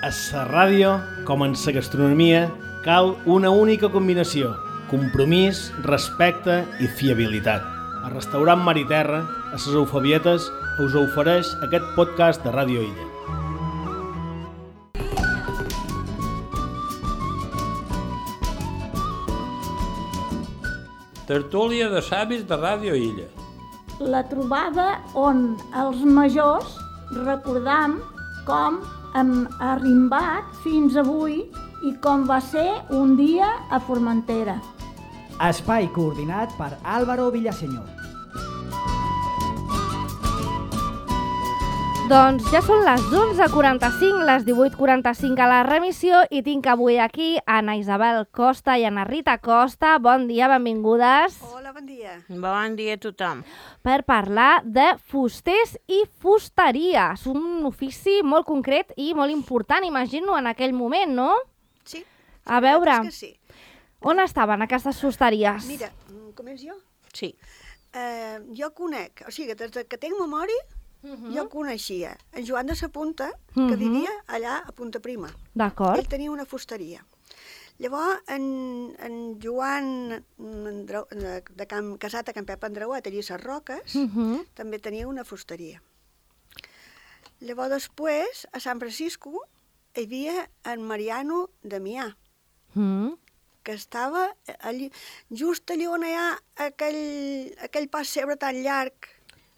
A la ràdio, com en la gastronomia, cal una única combinació: compromís, respecte i fiabilitat. El restaurant Mar i Terra, a les Eufebietes, us ofereix aquest podcast de Ràdio Illa. Tertúlia de savis de Ràdio Illa. La trobada on els majors recordam com hem arrimbat fins avui i com va ser un dia a Formentera. Espai coordinat per Álvaro Villaseñor. Doncs ja són les 11:45, les 18:45 a la remissió i tinc avui aquí Anna Isabel Costa i Anna Rita Costa. Bon dia, benvingudes. Hola, bon dia. Bon dia a tothom. Per parlar de fusters i fusteria. És un ofici molt concret i molt important, imagino, en aquell moment, no? Sí. A veure, Que sí. on estaven aquestes fusteries? Mira, començo jo? Sí. Jo conec, o sigui, des que tinc memòria, jo coneixia en Joan de sa Punta, que vivia allà a Punta Prima. D'acord. Ell tenia una fusteria. Llavors, en Joan, casat a Can Pep Andreuat, allà a les Roques, també tenia una fusteria. Llavors, després, a Sant Francisco, hi havia en Mariano Damià, que estava allí, just allà on hi ha aquell pas cebre tan llarg.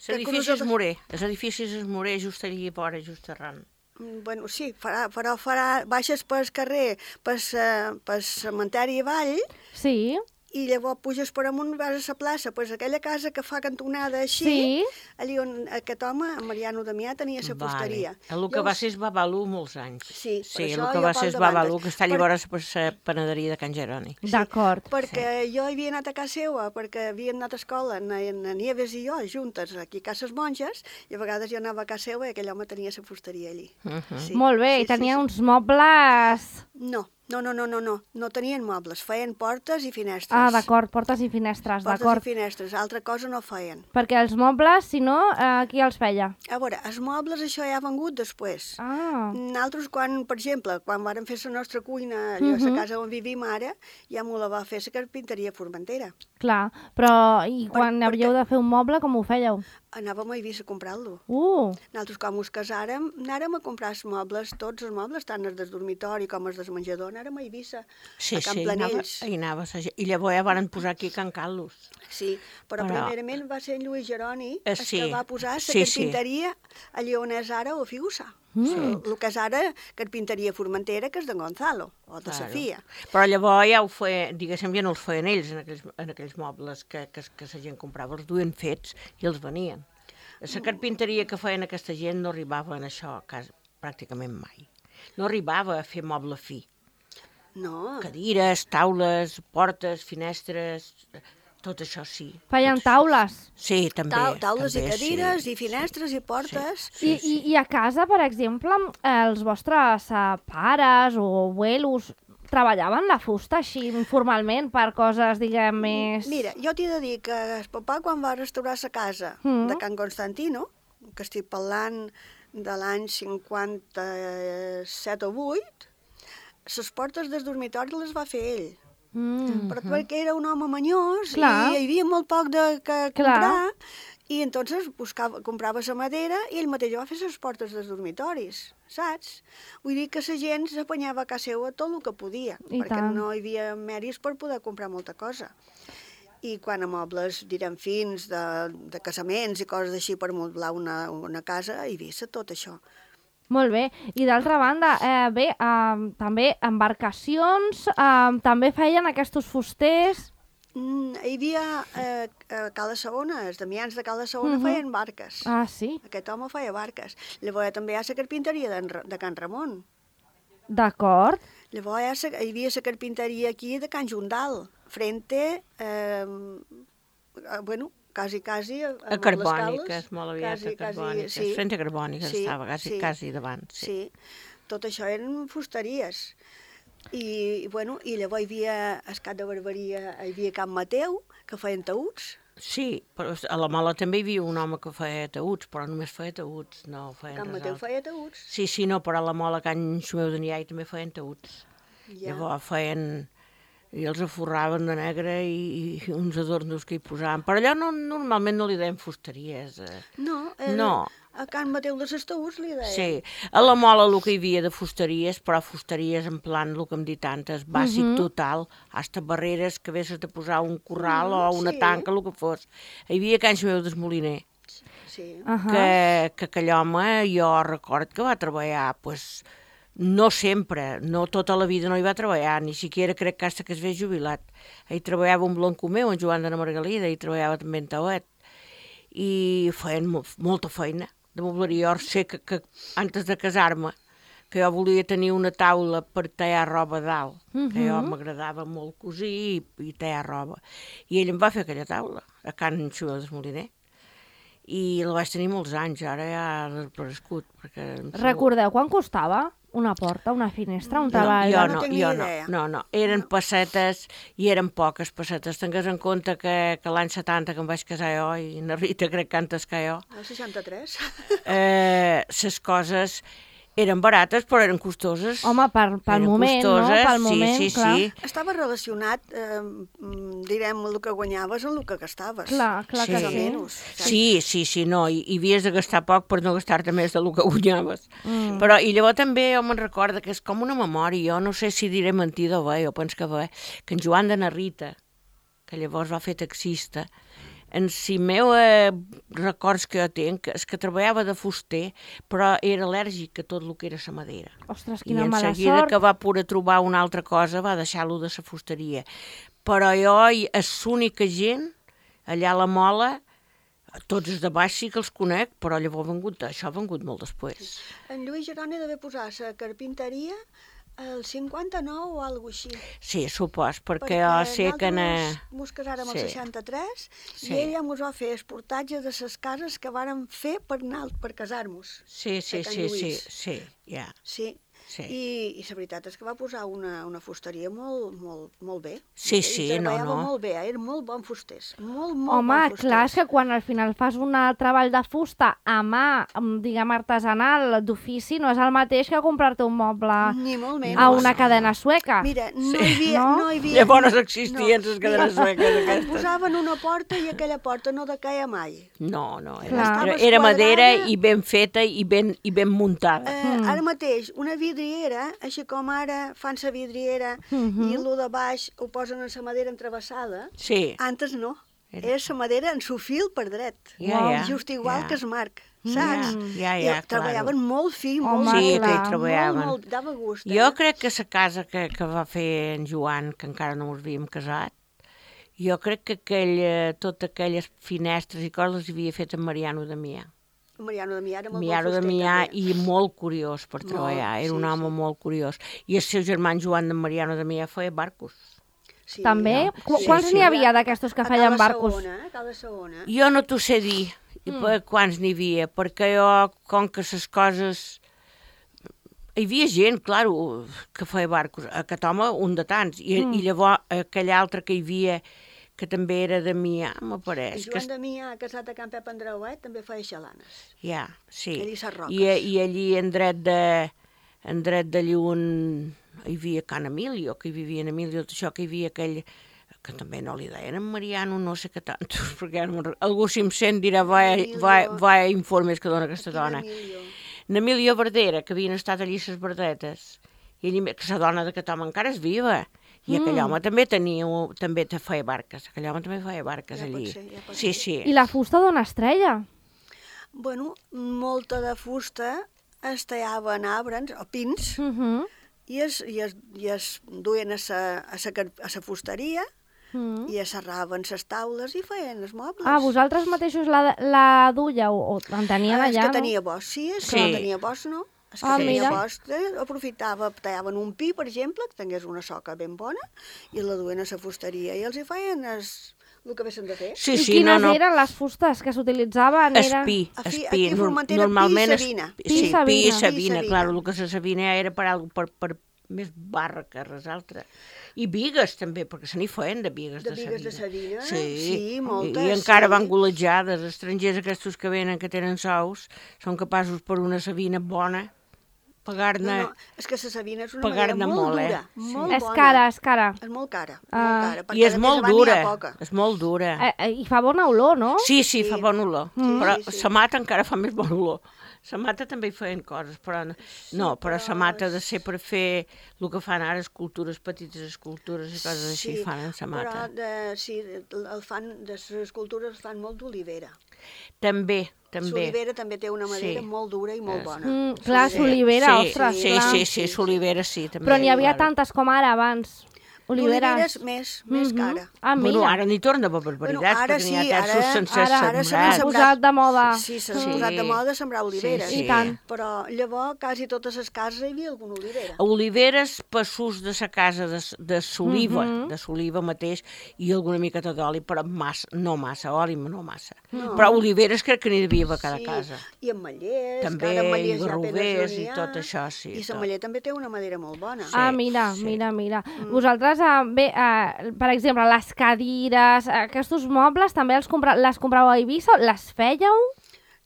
L'edifici és Morer, l'edifici és Morer, just allà fora, just arran. Bueno, sí, baixes pel carrer, pel cementeri avall, Sí. i llavors puges per amunt, vas a la plaça, pues aquella casa que fa cantonada així, Sí. allà on aquest home, en Mariano Damià, tenia la fusteria. El que va ser és Babalú molts anys. Sí, per Sí, això el que jo va pel ser és davant. Babalú, que està llavors per la panaderia de Can Jeroni. D'acord. Perquè jo havia anat a casa seva, perquè havíem anat a escola, en Nieves i jo, juntes, aquí a Cases Monges, i a vegades jo anava a casa seva i aquell home tenia la fusteria allí. Sí. Molt bé, Sí, i tenia sí. uns mobles... No tenien mobles, feien portes i finestres. Ah, d'acord, portes i finestres, Portes d'acord. i finestres, altra cosa no feien. Perquè els mobles, si no, qui els feia? A veure, els mobles això ja ha vengut després. Ah, Nosaltres, per exemple, quan vàrem fer la nostra cuina, allò a la casa on vivim ara, ja m'ho la va fer la carpinteria Formentera. clar. Però i quan perquè- havíeu de fer un moble, com ho fèieu? Anàvem a Eivissa a comprar-lo. Nosaltres, com us casàrem, anàrem a comprar els mobles, tots els mobles, tant els del dormitori com els del menjador, anàrem a Eivissa, Sí, a Can sí, Planells. hi anava. I llavors ja van posar aquí a Can Carlos. Sí, però primerament va ser en Lluís Jeroni el sí. que va posar la Sí, carpinteria allà on és ara o Figusa. El que és ara carpinteria Formentera, que és de Gonzalo, o de Sofia. Però llavors ja ho feien, diguéssim, ja no els feien ells en aquells mobles que la gent comprava, els duien fets i els venien. La carpinteria que feien aquesta gent no arribava en això a casa pràcticament mai. No arribava a fer moble fi. No, Cadires, taules, portes, finestres, tot això sí. Feien taules. Sí, també. taules també, i cadires, sí. i finestres, i portes. I a casa, per exemple, els vostres pares o abuelos treballaven la fusta així informalment per coses, diguem, més... Mira, jo t'he de dir que el papà, quan va restaurar la casa de Can Constantino, que estic parlant de l'any 57 o 8, les portes del dormitori les va fer ell. Però perquè era un home manyós Clar. i hi havia molt poc de Clar. comprar, i entonces comprava la madera i ell mateix va fer les portes dels dormitoris, saps? Vull dir que la gent s'apanyava a casa seva tot el que podia, I perquè tant. no hi havia mèrits per poder comprar molta cosa. I quan a mobles, direm, fins de casaments i coses així per moblar una casa, hi havia tot això. Molt bé. I d'altra banda, també embarcacions, també feien aquests fusters... Hi havia a Cala Segona, els damians de Cala Segona feien barques. Ah, sí? Aquest home feia barques. Llavors també hi ha la carpinteria de Can Ramon. D'acord. Llavors hi havia la carpinteria aquí de Can Jundal, frente, quasi A Carbòniques, molt aviat a Carbòniques. sí. Frente a Carbòniques Sí, estava, quasi davant. Sí, tot això eren fusteries. I llavors hi havia, al Cap de Barberia, hi havia Can Mateu, que feien taüts, Sí, però a la Mola també hi havia un home que feia taüts, però només feia taüts, no feien Can res Mateu altre. feia taüts. Sí, no, però a la Mola, Can Xumeu de Niai també feien taüts. Ja. Llavors feien... I els aforraven de negre i uns adornos que hi posaven. Però allò normalment no li deien fusteries. No, No. a Can Mateu de les taüts li deia. Sí, a la Mola el que hi havia de fusteries, però fusteries en plan, el que hem dit antes, bàsic total, hasta barreres que haguessis de posar un corral o una sí. tanca, el que fos. Hi havia Can Xumeu d'Esmoliner, Sí. que aquell home, jo record que va treballar, pues, no sempre, no tota la vida no hi va treballar, ni siquiera crec que hasta que es ve jubilat. Ell treballava amb l'Encomeu, en Joan de la Margalida, i treballava també en Tauet, i feien molta feina de mobleria. Jo sé que antes de casar-me, que jo volia tenir una taula per tallar roba dalt, que jo m'agradava molt cosir i tallar roba. I ell em va fer aquella taula, a Can Xumeu d'Esmoliner. I la vaig tenir molts anys, ara ja ha desaparegut. Recordeu quan costava una porta, una finestra, un treball? no tinc ni idea. No. Eren pessetes i eren poques pessetes. Tingues en compte que l'any 70 que em vaig casar jo, i na Rita crec que antes que jo, El 63. les coses eren barates però eren costoses. Home, pel Eren moment, no? costoses, Pel moment, sí, clar. sí. Estava relacionat, direm, el que guanyaves amb el que gastaves. Clar que Més o sí. menys. Sí, no, i havies de gastar poc per no gastar-te més del que guanyaves. Però, i llavors també jo me'n recordo que és com una memòria, jo no sé si diré mentida o bé, jo penso que bé, que en Joan de Narrita, que llavors va fer taxista, en si meu records que jo tinc és que treballava de fuster, però era al·lèrgic a tot el que era la madera. Ostres, I quina en mala seguida sort. que va poder trobar una altra cosa va deixar-lo de la fusteria. Però jo és l'única gent allà a la Mola, tots els de baix sí que els conec, però llavors això ha vengut molt després. En Lluís Geroni devia posar la carpinteria el 59 o alguna cosa així. Sí, supos, perquè jo sé que... Mos casàrem el Sí. 63 Sí. i ella mos va fer esportatge de les cases que vàrem fer per casar-nos. Sí, de Can Lluís. ja. Sí. Sí. I la veritat és que va posar una fusteria molt bé. Sí, I treballava no. molt bé, eren molt bons fusters. Molt Home, bons fusters. clar, és que quan al final fas un treball de fusta a mà, diguem, artesanal, d'ofici, no és el mateix que comprar-te un moble Ni molt menys. a una cadena sueca. Mira, no hi havia... No? No hi havia Llavors existien les cadenes sueques Et aquestes. posaven una porta i aquella porta no decaia mai. No, Clar. era madera esquadrada. i ben feta i ben muntada. Ara mateix, una vidriera, així com ara fan la vidriera i el de baix ho posen en la madera entrevessada, Sí. antes no. Era la madera en su fil per dret. Ja, Just igual ja. que es marc, saps? Ja, I claro. treballaven molt fi, Home, molt Sí, molt, que hi clar. treballaven. molt, dava gust. Jo crec que la casa que va fer en Joan, que encara no ens havíem casat, jo crec que totes aquelles finestres i coses les havia fet en Mariano Damià. Mariano Damià era molt Mariano bon fuster, Damià també. i molt curiós per treballar, era un home molt curiós. I el seu germà Joan de Mariano Damià feia barcos. Sí, També? no? Quants n'hi havia d'aquestos que A feien cada barcos? segona, a cada segona. Jo no t'ho sé dir quants n'hi havia, perquè jo, com que les coses... Hi havia gent, claro, que feia barcos. Aquest home, un de tants. I llavors aquell altre que hi havia, que també era de Mià, m'apareix. Joan Damià, casat a Can Pep Andreuet, també feia xalanes. Ja, sí. Ell i ses roques. I allí en dret de Llun hi havia Can Emilio, que hi vivia en Emilio, tot això, que hi havia aquell que també no li deien en Mariano, no sé què tant, perquè algú si em sent dirà va informes que dona aquesta dona. N'Emilio Verdera, que havien estat allí ses verdetes, i ell, que la dona d'aquest home encara és viva, i aquell home també feia barques, aquell home també feia barques Ja pot allí. ser, ja pot Sí, ser. sí. I la fusta d'on es treia? Bueno, molta de fusta es tallava en arbres o pins i es duien a la fusteria i es serraven les taules i feien els mobles. Ah, vosaltres mateixos la duieu o en tenien És allà, que no? tenia bosc, sí, és que Sí. no tenia bosc, no? És que Ah, tenia mira. bosc, aprofitava, tallaven un pi, per exemple, que tingués una soca ben bona, i la duien a la fusteria i els hi feien el que haguessin de fer. Sí, I sí, quines no. eren les fustes que s'utilitzaven? Espí, Aquí a Formentera, normalment pi i sabina. Pi i sí, pi i sabina. sabina, clar, el que se sabina era per més barra que res altre. I bigues, també, perquè se n'hi feien de bigues de bigues de Savina? Sí, moltes. I encara van golejades. Estrangers aquests que venen, que tenen sous, són capaços per una Savina bona pagar-ne... No, és que la Savina és una madera molt dura, molt És bona. cara, és cara. És molt cara, molt cara. I és molt dura, és molt dura. I fa bona olor, no? Sí, fa bona olor, però sí. sa mata encara fa més bona olor. Sa mata també hi feien coses, però no, però sa mata ha de ser per fer el que fan ara, escultures, petites escultures i coses així, fan en sa mata. Però de les escultures fan molt d'olivera. També. L'olivera també té una madera molt dura i molt bona. Clar, l'olivera, ostres, clar. Sí, l'olivera sí, també. Però n'hi havia tantes com ara abans. Oliveres més cara. Ah, mira. Bueno, ara n'hi torna per barbaritat, perquè n'hi ha terços sencers Ara s'ha posat de moda. Sí, s'ha posat de moda sembrar oliveres. I tant. Però llavors, quasi totes les cases hi havia alguna olivera. Oliveres, passos de sa casa de s'oliva, de s'oliva mateix, i alguna miqueta d'oli, però no massa, oli no massa. Però oliveres crec que n'hi devia a cada casa. I ametllers, també, i garrovers i tot això, sí. I l'ametller també té una madera molt bona. Ah, mira. Vosaltres, per exemple, les cadires, aquests mobles també les compràveu a Eivissa? Les fèieu?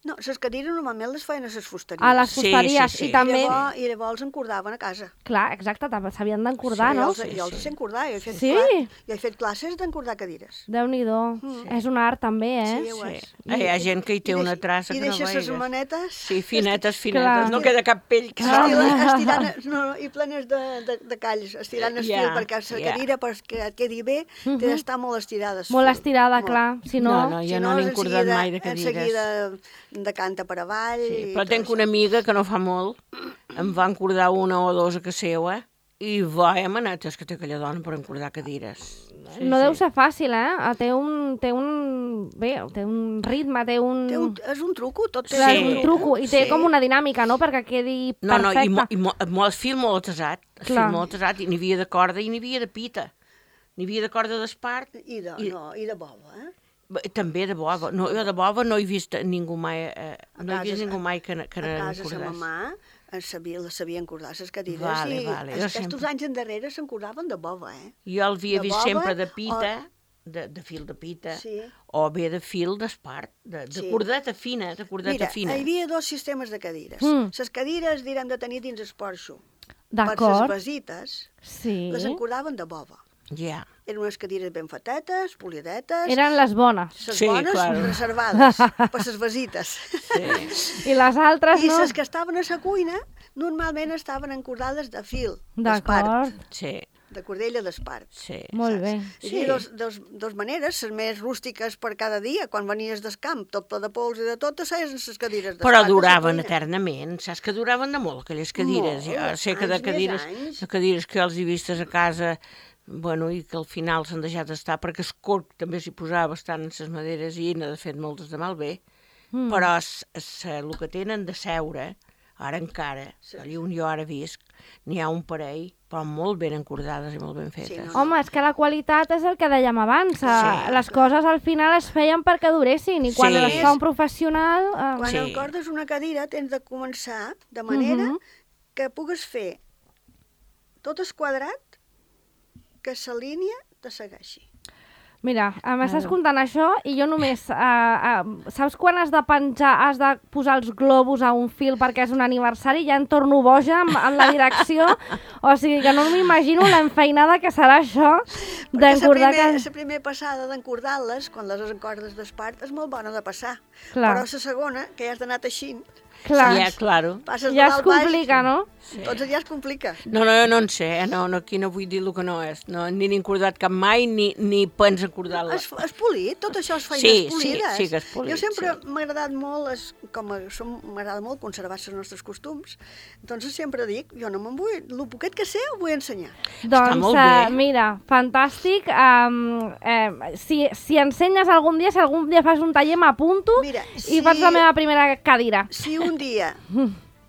No, les cadires normalment les feien a les fusteries. A les fusteries, sí. I també... I llavors encordaven a casa. Clar, exacte, s'havien d'encordar, no? Jo els sé encordar, jo he fet classes d'encordar cadires. Déu-n'hi-do, és un art també, Sí, ho és. Hi ha gent que hi té una traça que no veigues. I deixes les manetes... Sí, finetes, no queda cap pell que estirant, i plenes de calls, estirant el fil, perquè la cadira, perquè et quedi bé, té d'estar molt estirada. Molt estirada, clar, si no... No, jo no n'he encordat mai de cadires. En seguida decanta per avall... Sí, però tenc una amiga que no fa molt, em va encordar una o dues a casa seva, i vaya manetes que té aquella dona per encordar cadires. No deu ser fàcil, Té un ritme, té un... És un truco, tot té un truco, i té com una dinàmica, no?, perquè quedi perfecte. No, i el fil molt atesat, i n'hi havia de corda i n'hi havia de pita. N'hi havia de corda d'espart. I de bova, També de bova. No, jo de bova no he vist ningú mai, que n'encordés. A casa sa mamà la sabia encordar les cadires. Vale. Aquests anys endarrere s'encordaven de bova, Jo l'havia vist sempre de pita, de fil de pita, o bé de fil d'espart, de cordeta fina, Mira, hi havia dos sistemes de cadires. Les cadires, direm, de tenir dins el porxo. D'acord. Per les basites, les encordaven de bova. Ja. Eren unes cadires ben fetetes, polidetes... Eren les bones. Les bones reservades per les basites. I les altres, no? I les que estaven a la cuina normalment estaven encordades de fil, d'espart. D'acord. Sí. De cordella d'espart. Sí. Molt bé. Hi havia dos maneres, les més rústiques per cada dia, quan venies del camp, tot ple de pols i de tot, seien les cadires d'espart. Però duraven eternament, saps que duraven de molt, aquelles cadires. Jo sé que de cadires que els he vistes a casa... Bueno, i que al final s'han deixat estar, perquè el corc també s'hi posava bastant en les maderes i n'ha de fet moltes de malbé, però el que tenen de seure, ara encara, allà on jo ara visc, n'hi ha un parell, però molt ben encordades i molt ben fetes. Home, és que la qualitat és el que dèiem abans, les coses al final es feien perquè duressin, i quan les fa un professional... Quan encordes una cadira tens de començar de manera que pugues fer tot el quadrat que la línia te segueixi. Mira, m'estàs contant això i jo només... saps quan has de penjar, has de posar els globus a un fil perquè és un aniversari i ja em torno boja en la direcció? O sigui que no m'imagino l'enfeinada que serà això d'encordar... La primera passada d'encordar-les, quan les encordes d'espart, és molt bona de passar. Però la segona, que ja has d'anar teixint, ja es complica, no? Tots allà es complica. No en sé, aquí no vull dir el que no és. Ni n'he encordat cap mai, ni penso encordar-la. És polit, tot això és feines polides. Sí que és polit. Jo sempre m'ha agradat molt, m'agrada molt conservar els nostres costums, doncs sempre dic, jo no me'n vull, el poquet que sé ho vull ensenyar. Doncs, mira, fantàstic. Si ensenyes algun dia, si algun dia fas un taller, m'apunto i faig la meva primera cadira. Si un dia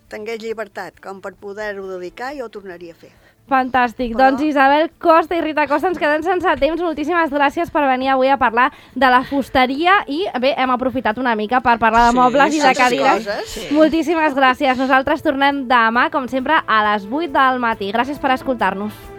tingués llibertat com per poder-ho dedicar, jo ho tornaria a fer. Fantàstic. Però- Doncs Isabel Costa i Rita Costa, ens quedem sense temps. Moltíssimes gràcies per venir avui a parlar de la fusteria i, bé, hem aprofitat una mica per parlar de mobles i de tantes cadires. coses. Moltíssimes gràcies. Nosaltres tornem demà, com sempre, a les 8 del matí. Gràcies per escoltar-nos.